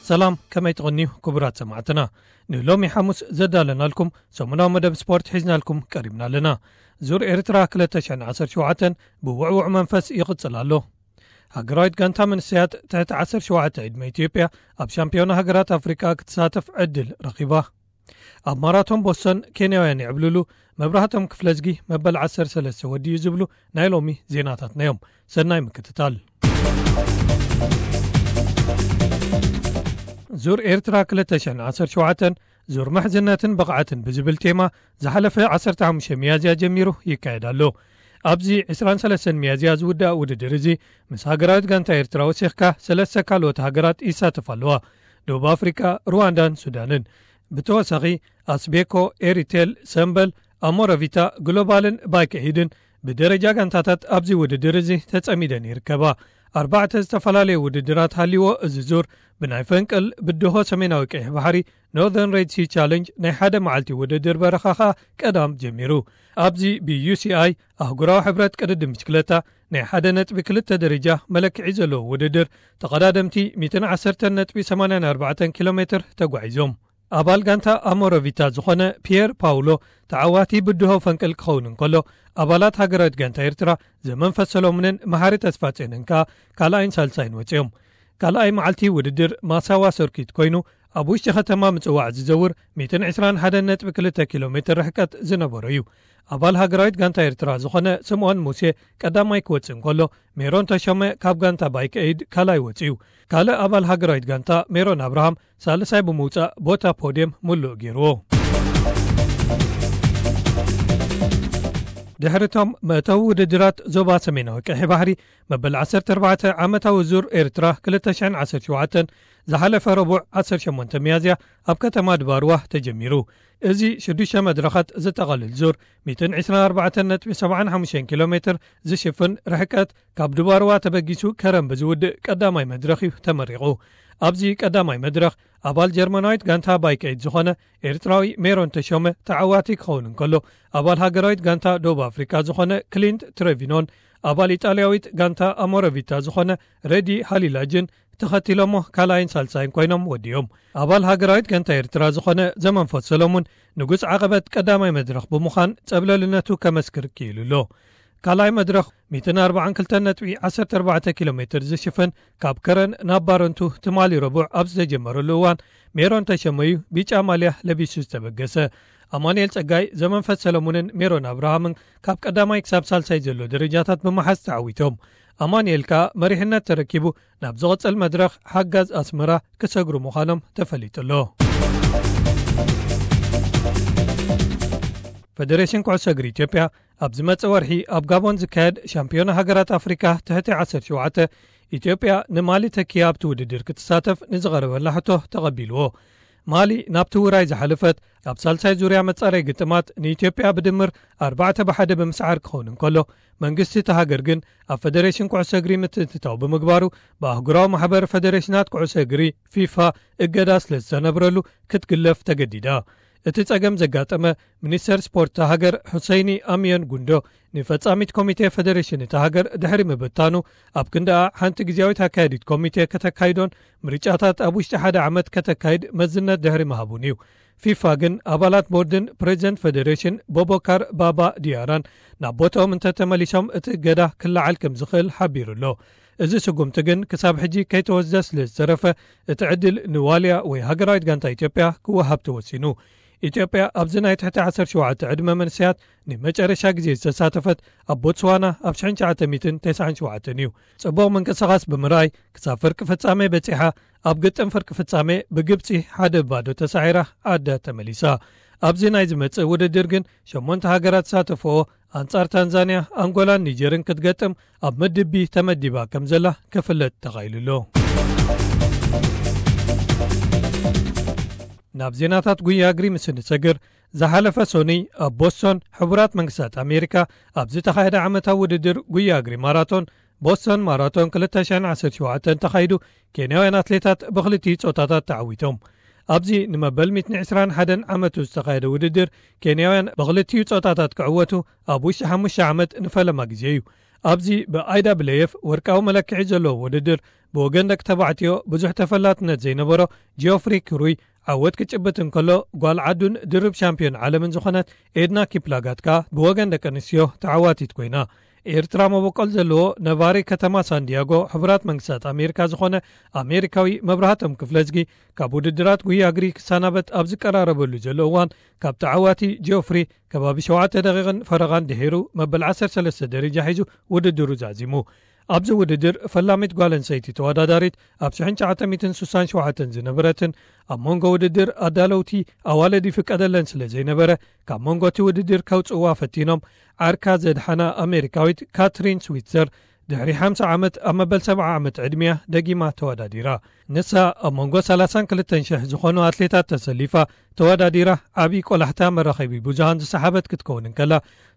ሰላም፣ ከመይ ትቕንዩ ክቡራት ሰማዕትና? ንሎሚ ሓሙስ ዘዳለናልኩም ሰሙናዊ መደብ ስፖርት ሒዝናልኩም ቀሪብና ኣለና። ዙር ኤርትራ ክልተ ሽሕን ዓሰርተ ሸውዓተን ብውዕውዕ መንፈስ ይቕጽል ኣሎ። ሃገራዊት ጋንታ መንእሰያት ትሕቲ ዓሰርተ ሸውዓተ ዕድመ ኢትዮጵያ ኣብ ሻምፒዮና ሃገራት ኣፍሪቃ ክትሳተፍ ዕድል ረኺባ። ኣብ ማራቶን ቦስተን ኬንያውያን ይዕብልሉ። መብራህቶም ክፍለዝጊ መበል ዓሰርተ ሰለስተ ወዲኡ ዝብሉ ናይ ሎሚ ዜናታትና እዮም። ሰናይ ምክትታል። ዙር ኤርትራ ክልተ ሽሕን ዓሰርተ ሸውዓተን ዙር ምሕዝነትን ብቕዓትን ብዝብል ቴማ ዝሓለፈ ዓሰርተ ሓሙሽተ ሚያዝያ ጀሚሩ ይካየድ ኣሎ። ኣብዚ ዕስራን ሰለስተን ሚያዝያ ዝውዳእ ውድድር እዚ ምስ ሃገራዊት ጋንታ ኤርትራ ወሲኽካ ሰለስተ ካልኦት ሃገራት ይሳተፋ ኣለዋ። ደቡብ ኣፍሪቃ፣ ሩዋንዳን ሱዳንን። ብተወሳኺ ኣስቤኮ፣ ኤሪቴል፣ ሰምበል፣ ኣሞረቪታ፣ ግሎባልን ባይክ ኤይድን ብደረጃ ጋንታታት ኣብዚ ውድድር እዚ ተጸሚደን ይርከባ። ኣርባዕተ ዝተፈላለዩ ውድድራት ሃልይዎ እዚ ዙር ብናይ ፈንቅል ብድሆ ሰሜናዊ ቀይሕ ባሕሪ ኖርዘርን ሬድ ሲ ቻለንጅ ናይ ሓደ መዓልቲ ውድድር በረኻ ኸኣ ቀዳም ጀሚሩ። ኣብዚ ብዩ ሲ ኣይ ኣህጉራዊ ሕብረት ቅድድም ብሽክለታ ናይ ሓደ ነጥቢ ክልተ ደረጃ መለክዒ ዘለዎ ውድድር ተቐዳደምቲ ሚእትን ዓሰርተን ነጥቢ ሰማንያን ኣርባዕተን ኪሎ ሜትር ተጓዒዞም። ኣባል ጋንታ ኣሞረቪታ ዝኾነ ፒየር ፓውሎ ተዓዋቲ ብድሆ ፈንቅል ክኸውን እንከሎ፣ ኣባላት ሃገራዊት ጋንታ ኤርትራ ዘመንፈስ ሰሎሙንን መሓሪ ተስፋጽዮንን ከኣ ካልኣይን ሳልሳይን ወጺኦም። ካልኣይ መዓልቲ ውድድር ማሳዋ ሰርኪት ኮይኑ፣ ኣብ ውሽጢ ከተማ ምጽዋዕ ዝዘውር ሚእትን ዕስራን ሓደን ነጥቢ ክልተ ኪሎ ሜትር ርሕቀት ዝነበሮ እዩ። ኣባል ሃገራዊት ጋንታ ኤርትራ ዝኾነ ስምኦን ሙሴ ቀዳማይ ክወጽእ እንከሎ፣ ሜሮን ተሾመ ካብ ጋንታ ባይክ ኤይድ ካልኣይ ወጺኡ። ካልእ ኣባል ሃገራዊት ጋንታ ሜሮን ኣብርሃም ሳልሳይ ብምውጻእ ቦታ ፖድየም ምሉእ ገይርዎ። ድሕሪቶም መእተዊ ውድድራት ዞባ ሰሜናዊ ቀይሕ ባሕሪ መበል ዓሰርተ ኣርባዕተ ዓመታዊ ዙር ኤርትራ ክልተ ሽሕን ዓሰርተ ሸውዓተን ዝሓለፈ ረቡዕ ዓሰርተ ሸሞንተ ሚያዝያ ኣብ ከተማ ድባርዋ ተጀሚሩ። እዚ ሽዱሽተ መድረኻት ዝጠቓልል ዙር ሚእትን ዕስራን ኣርባዕተን ነጥቢ ሰብዓን ሓሙሽተን ኪሎ ሜትር ዝሽፍን ርሕቀት ካብ ድባርዋ ተበጊሱ ከረን ብዝውድእ ቀዳማይ መድረኽ እዩ ተመሪቑ። ኣብዚ ቀዳማይ መድረኽ ኣባል ጀርመናዊት ጋንታ ባይክ ኤይድ ዝኾነ ኤርትራዊ ሜሮን ተሾመ ተዓዋቲ ክኸውን እንከሎ፣ ኣባል ሃገራዊት ጋንታ ደቡብ ኣፍሪካ ዝኾነ ክሊንት ትሬቪኖን ኣባል ኢጣልያዊት ጋንታ ኣሞረቪታ ዝኾነ ረዲ ሃሊላጅን ተኸቲሎሞ ካልኣይን ሳልሳይን ኮይኖም ወዲኦም። ኣባል ሃገራዊት ጋንታ ኤርትራ ዝኾነ ዘመንፈስ ሰሎሙን ንጉስ ዓቐበት ቀዳማይ መድረኽ ብምዃን ጸብለልነቱ ከመስክር ክኢሉ ኣሎ። ካልኣይ መድረኽ ሚእትን ኣርባዓን ክልተን ነጥቢ ዓሰርተ ኣርባዕተ ኪሎ ሜትር ዝሽፍን ካብ ከረን ናብ ባረንቱ ትማሊ ረቡዕ ኣብ ዝተጀመረሉ እዋን ሜሮን ተሸመዩ ቢጫ ማልያ ለቢሱ ዝተበገሰ። ኣማኑኤል ጸጋይ፣ ዘመንፈስ ሰለሙንን ሜሮን ኣብርሃምን ካብ ቀዳማይ ክሳብ ሳልሳይ ዘሎ ደረጃታት ብምሓዝ ተዓዊቶም። ኣማኑኤል ከኣ መሪሕነት ተረኪቡ ናብ ዝቕጽል መድረኽ ሓጋዝ ኣስመራ ክሰግሩ ምዃኖም ተፈሊጡ ኣሎ። ፈደሬሽን ኩዕሶ እግሪ ኢትዮጵያ ኣብ ዝመጽእ ወርሒ ኣብ ጋቦን ዝካየድ ሻምፒዮና ሃገራት ኣፍሪካ ትሕቲ ዓሰርተ ሸውዓተ ኢትዮጵያ ንማሊ ተኪያ ኣብቲ ውድድር ክትሳተፍ ንዝቐረበላ ሕቶ ተቐቢልዎ። ማሊ ናብቲ ውራይ ዝሓለፈት ኣብ ሳልሳይ ዙርያ መጻረይ ግጥማት ንኢትዮጵያ ብድምር ኣርባዕተ ብሓደ ብምስዓር ክኸውን እንከሎ፣ መንግስቲ እታ ሃገር ግን ኣብ ፈደሬሽን ኩዕሶ እግሪ ምትእትታው ብምግባሩ ብኣህጉራዊ ማሕበር ፈደሬሽናት ኩዕሶ እግሪ ፊፋ እገዳ ስለ ዝተነብረሉ ክትግለፍ ተገዲዳ። እቲ ጸገም ዘጋጠመ ሚኒስተር ስፖርት እታ ሃገር ሑሰይኒ ኣሚዮን ጉንዶ ንፈጻሚት ኮሚቴ ፈደሬሽን እታ ሃገር ድሕሪ ምብታኑ፣ ኣብ ክንዳኣ ሓንቲ ግዜያዊት ኣካያዲት ኮሚቴ ከተካይዶን ምርጫታት ኣብ ውሽጢ ሓደ ዓመት ከተካይድ መዝነት ድሕሪ ምሃቡን እዩ። ፊፋ ግን ኣባላት ቦርድን ፕሬዚደንት ፈደሬሽን ቦቦካር ባባ ዲያራን ናብ ቦታኦም እንተተመሊሶም እቲ እገዳ ክለዓል ከም ዝኽእል ሓቢሩ ኣሎ። እዚ ስጉምቲ ግን ክሳብ ሕጂ ከይተወስደ ስለ ዝተረፈ፣ እቲ ዕድል ንዋልያ ወይ ሃገራዊት ጋንታ ኢትዮጵያ ክወሃብ ተወሲኑ። ኢትዮጵያ ኣብዚ ናይ ትሕቲ ዓሰርተ ሸውዓተ ዕድመ መንእሰያት ንመጨረሻ ግዜ ዝተሳተፈት ኣብ ቦትስዋና ኣብ ሽሕን ትሽዓተ ሚእትን ተስዓን ሸውዓተን እዩ። ጽቡቕ ምንቅስቓስ ብምርኣይ ክሳብ ፍርቂ ፍጻሜ በጺሓ፣ ኣብ ግጥም ፍርቂ ፍጻሜ ብግብጺ ሓደ ባዶ ተሳዒራ ዓዳ ተመሊሳ። ኣብዚ ናይ ዝመጽእ ውድድር ግን ሸሞንተ ሃገራት ዝሳተፍኦ ኣንጻር ታንዛንያ፣ ኣንጎላን ኒጀርን ክትገጥም ኣብ ምድብ ቢ ተመዲባ ከም ዘላ ክፍለጥ ተኻኢሉ ኣሎ። ናብ ዜናታት ጉያ እግሪ ምስ እንሰግር፣ ዝሓለፈ ሶኑይ ኣብ ቦስቶን ሕቡራት መንግስታት ኣሜሪካ ኣብ ዝተኻየደ ዓመታዊ ውድድር ጉያ እግሪ ማራቶን፣ ቦስቶን ማራቶን ክልተ ሽሕን ዓሰርተ ሸውዓተን ተኻይዱ፣ ኬንያውያን ኣትሌታት ብክልቲኡ ጾታታት ተዓዊቶም። ኣብዚ ንመበል ሚእትን ዕስራን ሓደን ዓመቱ ዝተኻየደ ውድድር፣ ኬንያውያን ብክልቲኡ ጾታታት ክዕወቱ ኣብ ውሽጢ ሓሙሽተ ዓመት ንፈለማ ግዜ እዩ። ኣብዚ ብ I W F ወርቃዊ መለክዒ ዘለዎ ውድድር፣ ብወገን ደቂ ተባዕትዮ ብዙሕ ተፈላጥነት ዘይነበሮ ጂኦፍሪ ክሩይ ዓወት ክጭብጥ እንከሎ፣ ጓል ዓዱን ድርብ ሻምፒዮን ዓለምን ዝኾነት ኤድና ኪፕላጋት ከኣ ብወገን ደቂ ኣንስትዮ ተዓዋቲት ኮይና። ኤርትራ መበቆል ዘለዎ ነባሪ ከተማ ሳንዲያጎ ሕቡራት መንግስታት ኣሜሪካ ዝኾነ ኣሜሪካዊ መብራህቶም ክፍለዝጊ፣ ካብ ውድድራት ጉያ እግሪ ክሰናበት ኣብ ዝቀራረበሉ ዘሎ እዋን፣ ካብ ተዓዋቲ ጂኦፍሪ ከባቢ ሸውዓተ ደቂቕን ፈረቓን ድሒሩ መበል ዓሰርተ ሰለስተ ደረጃ ሒዙ ውድድሩ ዛዚሙ። ኣብዚ ውድድር ፈላሚት ጓል ኣንስተይቲ ተወዳዳሪት ኣብ ሽሕን ትሽዓተ ሚእትን ስሳን ሸውዓተን ዝነበረትን ኣብ መንጎ ውድድር ኣዳለውቲ ኣዋልድ ይፍቀደለን ስለ ዘይነበረ፣ ካብ መንጎ እቲ ውድድር ከውጽእዋ ፈቲኖም ዓርካ ዘድሓና ኣሜሪካዊት ካትሪን ስዊትዘር ድሕሪ ሓምሳ ዓመት ኣብ መበል ሰብዓ ዓመት ዕድሚያ ደጊማ ተወዳዲራ። ንሳ ኣብ መንጎ ሰላሳን ክልተን ሽሕ ዝኾኑ ኣትሌታት ተሰሊፋ ተወዳዲራ ዓቢ ቆላሕታ መራኸቢ ብዙሃን ዝሰሓበት ክትከውን እንከላ፣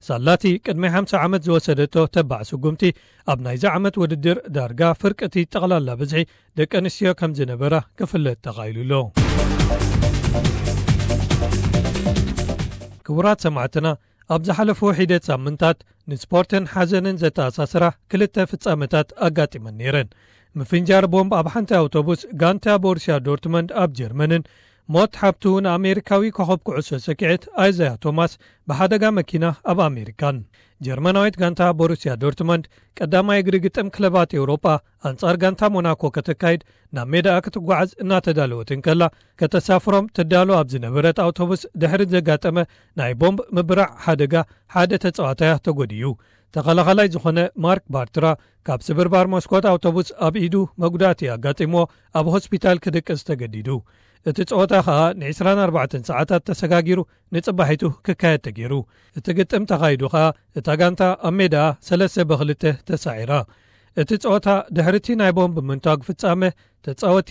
ሳላቲ ቅድሚ ሓምሳ ዓመት ዝወሰደቶ ተባዕ ስጉምቲ ኣብ ናይዚ ዓመት ውድድር ዳርጋ ፍርቅቲ ጠቕላላ ብዝሒ ደቂ ኣንስትዮ ከም ዝነበራ ክፍለጥ ተኻኢሉ ኣሎ። ክቡራት ሰማዕትና፣ ኣብ ዝሓለፉ ሒደት ሳምንታት ንስፖርትን ሓዘንን ዘተኣሳስራ ክልተ ፍጻመታት ኣጋጢመን ነይረን። ምፍንጃር ቦምብ ኣብ ሓንቲ ኣውቶቡስ ጋንታ ቦሩስያ ዶርትመንድ ኣብ ጀርመንን ሞት ሓብቱ ንኣሜሪካዊ ኮኸብ ኩዕሶ ሰኪዔት ኣይዛያ ቶማስ ብሓደጋ መኪና ኣብ ኣሜሪካን። ጀርመናዊት ጋንታ ቦሩስያ ዶርትመንድ ቀዳማይ እግሪ ግጥም ክለባት ኤውሮጳ ኣንጻር ጋንታ ሞናኮ ከተካይድ ናብ ሜዳኣ ክትጓዓዝ እናተዳለወት እንከላ፣ ከተሳፍሮም ትዳሎ ኣብ ዝነበረት ኣውቶቡስ ድሕሪ ዘጋጠመ ናይ ቦምብ ምብራዕ ሓደጋ ሓደ ተጻዋታያ ተጎዲዩ። ተኸላኻላይ ዝኾነ ማርክ ባርትራ ካብ ስብርባር መስኮት ኣውቶቡስ ኣብ ኢዱ መጉዳእቲ ኣጋጢምዎ ኣብ ሆስፒታል ክድቅስ ተገዲዱ። እቲ ጸወታ ኸኣ ንዒስራን ኣርባዕተን ሰዓታት ተሰጋጊሩ ንጽባሒቱ ክካየድ ተገይሩ። እቲ ግጥም ተኻይዱ ኸኣ እታ ጋንታ ኣብ ሜዳኣ ሰለስተ ብኽልተ ተሳዒራ። እቲ ጸወታ ድሕሪ እቲ ናይ ቦምብ ምንታግ ፍጻመ፣ ተጻወቲ፣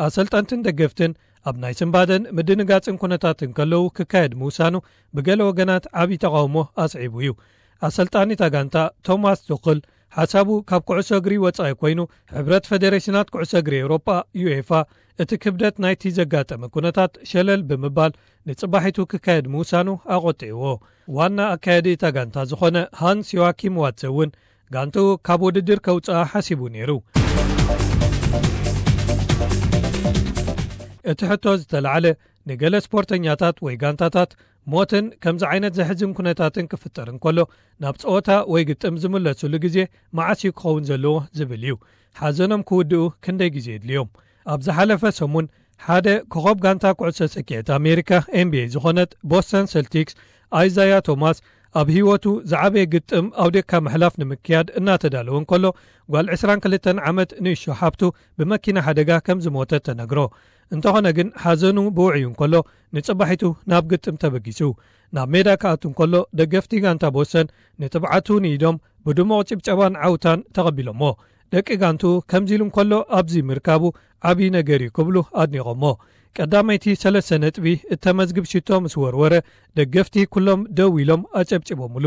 ኣሰልጠንትን ደገፍትን ኣብ ናይ ስንባደን ምድንጋጽን ኩነታት እንከለዉ ክካየድ ምውሳኑ ብገለ ወገናት ዓቢ ተቓውሞ ኣስዒቡ እዩ። ኣሰልጣኒ እታ ጋንታ ቶማስ ቱኽል ሓሳቡ ካብ ኩዕሶ እግሪ ወጻኢ ኮይኑ፣ ሕብረት ፈደሬሽናት ኩዕሶ እግሪ ኤውሮጳ፣ ዩኤፋ፣ እቲ ክብደት ናይቲ ዘጋጠመ ኩነታት ሸለል ብምባል ንጽባሒቱ ክካየድ ምውሳኑ ኣቖጢዕዎ። ዋና ኣካያዲ እታ ጋንታ ዝኾነ ሃንስ ዮዋኪም ዋትሰ እውን ጋንትኡ ካብ ውድድር ከውጽኣ ሓሲቡ ነይሩ። እቲ ሕቶ ዝተላዕለ ንገለ ስፖርተኛታት ወይ ጋንታታት ሞትን ከምዚ ዓይነት ዘሕዝን ኩነታትን ክፍጠር እንከሎ ናብ ጸወታ ወይ ግጥም ዝምለሱሉ ግዜ መዓስ እዩ ክኸውን ዘለዎ ዝብል እዩ። ሓዘኖም ክውድኡ ክንደይ ግዜ የድልዮም? ኣብ ዝሓለፈ ሰሙን ሓደ ኮኸብ ጋንታ ኩዕሶ ሰኪዐት ኣሜሪካ ኤን ቢ ኤ ዝኾነት ቦስተን ሰልቲክስ ኣይዛያ ቶማስ ኣብ ህይወቱ ዝዓበየ ግጥም ኣውዴካ ምሕላፍ ንምክያድ እናተዳለወ እንከሎ ጓል ዕስራን ክልተን ዓመት ንእሾ ሓብቱ ብመኪና ሓደጋ ከም ዝሞተት ተነግሮ። እንተኾነ ግን ሓዘኑ ብውዕዩ እንከሎ ንጽባሒቱ ናብ ግጥም ተበጊሱ። ናብ ሜዳ ክኣቱ እንከሎ ደገፍቲ ጋንታ ቦስተን ንትብዓቱ ንኢዶም ብድሙቕ ጭብጨባን ዓውታን ተቐቢሎሞ። ደቂ ጋንቱ ከምዚ ኢሉ እንከሎ ኣብዚ ምርካቡ ዓቢ ነገር እዩ ክብሉ ኣድኒቖሞ። ቀዳመይቲ ሰለስተ ነጥቢ እተመዝግብ ሽቶ ምስ ወርወረ ደገፍቲ ኩሎም ደው ኢሎም ኣጨብጭቦምሉ።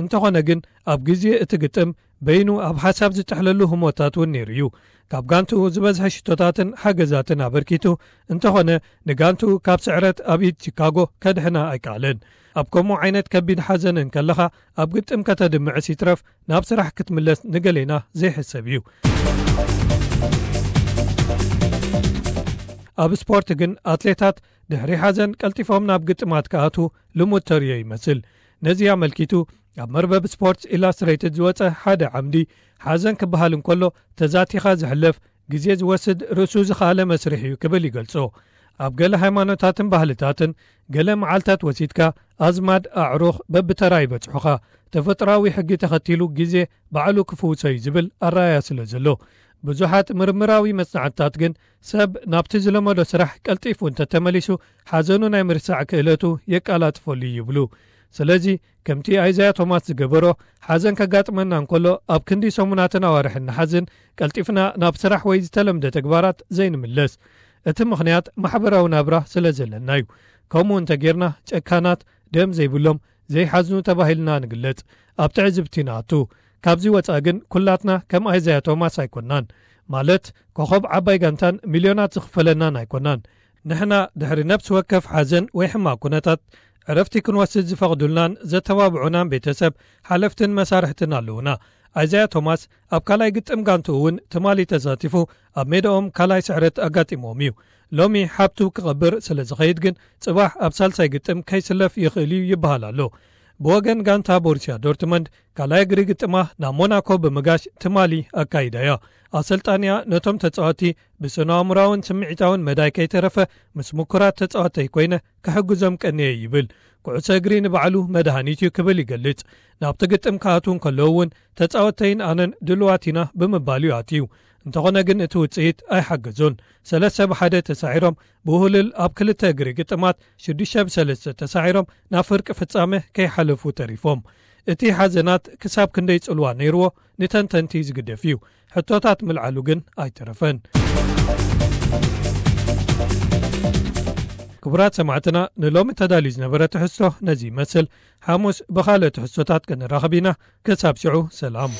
እንተኾነ ግን ኣብ ግዜ እቲ ግጥም በይኑ ኣብ ሓሳብ ዝጥሕለሉ ህሞታት እውን ነይሩ እዩ። ካብ ጋንቱ ዝበዝሐ ሽቶታትን ሓገዛትን ኣበርኪቱ እንተኾነ ንጋንቱ ካብ ስዕረት ኣብ ኢድ ቺካጎ ከድሕና ኣይከኣለን። ኣብ ከምኡ ዓይነት ከቢድ ሓዘን እንከለኻ ኣብ ግጥም ከተድምዕስ ይትረፍ ናብ ስራሕ ክትምለስ ንገሌና ዘይሕሰብ እዩ። ኣብ ስፖርት ግን ኣትሌታት ድሕሪ ሓዘን ቀልጢፎም ናብ ግጥማት ክኣትዉ ልሙድ ተርእዮ ይመስል። ነዚ ኣመልኪቱ ኣብ መርበብ ስፖርትስ ኢላስትሬትድ ዝወጸ ሓደ ዓምዲ፣ ሓዘን ክበሃል እንከሎ ተዛቲኻ ዝሕለፍ ግዜ ዝወስድ ርእሱ ዝኸኣለ መስርሕ እዩ ክብል ይገልጾ። ኣብ ገለ ሃይማኖታትን ባህልታትን ገለ መዓልታት ወሲድካ ኣዝማድ ኣዕሩኽ በብተራ ይበጽሑኻ። ተፈጥሮኣዊ ሕጊ ተኸቲሉ ግዜ ባዕሉ ክፍውሶ እዩ ዝብል ኣረኣእያ ስለ ዘሎ፣ ብዙሓት ምርምራዊ መጽናዕትታት ግን ሰብ ናብቲ ዝለመዶ ስራሕ ቀልጢፉ እንተተመሊሱ ሓዘኑ ናይ ምርሳዕ ክእለቱ የቃላጥፈሉ እዩ ይብሉ። ስለዚ ከምቲ ኣይዛያ ቶማስ ዝገበሮ ሓዘን ከጋጥመና እንከሎ ኣብ ክንዲ ሰሙናትን ኣዋርሕን ንሓዝን ቀልጢፍና ናብ ስራሕ ወይ ዝተለምደ ተግባራት ዘይንምለስ። እቲ ምኽንያት ማሕበራዊ ናብራ ስለ ዘለና እዩ። ከምኡ እንተጌርና ጨካናት፣ ደም ዘይብሎም፣ ዘይሓዝኑ ተባሂልና ንግለጽ፣ ኣብ ትዕዝብቲ ንኣቱ። ካብዚ ወጻኢ ግን ኩላትና ከም ኣይዛያ ቶማስ ኣይኮናን። ማለት ኮኸብ ዓባይ ጋንታን ሚልዮናት ዝኽፈለናን ኣይኮናን። ንሕና ድሕሪ ነፍሲ ወከፍ ሓዘን ወይ ሕማቕ ኩነታት ዕረፍቲ ክንወስድ ዝፈቕዱልናን ዘተባብዑናን ቤተሰብ፣ ሓለፍትን መሳርሕትን ኣለዉና። ኣይዛያ ቶማስ ኣብ ካልኣይ ግጥም ጋንትኡ እውን ትማሊ ተሳቲፉ ኣብ ሜዳኦም ካልኣይ ስዕረት ኣጋጢሞም እዩ። ሎሚ ሓብቱ ክቐብር ስለ ዝኸይድ ግን ጽባሕ ኣብ ሳልሳይ ግጥም ከይስለፍ ይኽእል እዩ ይበሃል ኣሎ። ብወገን ጋንታ ቦሩስያ ዶርትመንድ ካልኣይ እግሪ ግጥማ ናብ ሞናኮ ብምጋሽ ትማሊ ኣካይዳ እያ። ኣሰልጣንያ ነቶም ተጻወቲ ብስነ ኣእምራውን ስምዒታውን መዳይ ከይተረፈ ምስ ምኩራት ተጻወተይ ኮይነ ክሕግዞም ቀንየ ይብል። ኩዕሶ እግሪ ንባዕሉ መድሃኒት እዩ ክብል ይገልጽ። ናብቲ ግጥም ክኣትዉ እንከለዉ እውን ተጻወተይን ኣነን ድልዋት ኢና ብምባል እዩ ኣትዩ። እንተኾነ ግን እቲ ውጽኢት ኣይሓገዞን። ሰለስተ ብሓደ ተሳዒሮም ብውህልል ኣብ ክልተ እግሪ ግጥማት ሽዱሽተ ብሰለስተ ተሳዒሮም ናብ ፍርቂ ፍጻመ ከይሓለፉ ተሪፎም። እቲ ሓዘናት ክሳብ ክንደይ ጽልዋ ነይርዎ ንተንተንቲ ዝግደፍ እዩ። ሕቶታት ምልዓሉ ግን ኣይተረፈን። ክቡራት ሰማዕትና ንሎሚ ተዳልዩ ዝነበረ ትሕዝቶ ነዚ ይመስል። ሓሙስ ብኻልእ ትሕዝቶታት ክንራኸብ ኢና። ክሳብ ሽዑ ሰላም።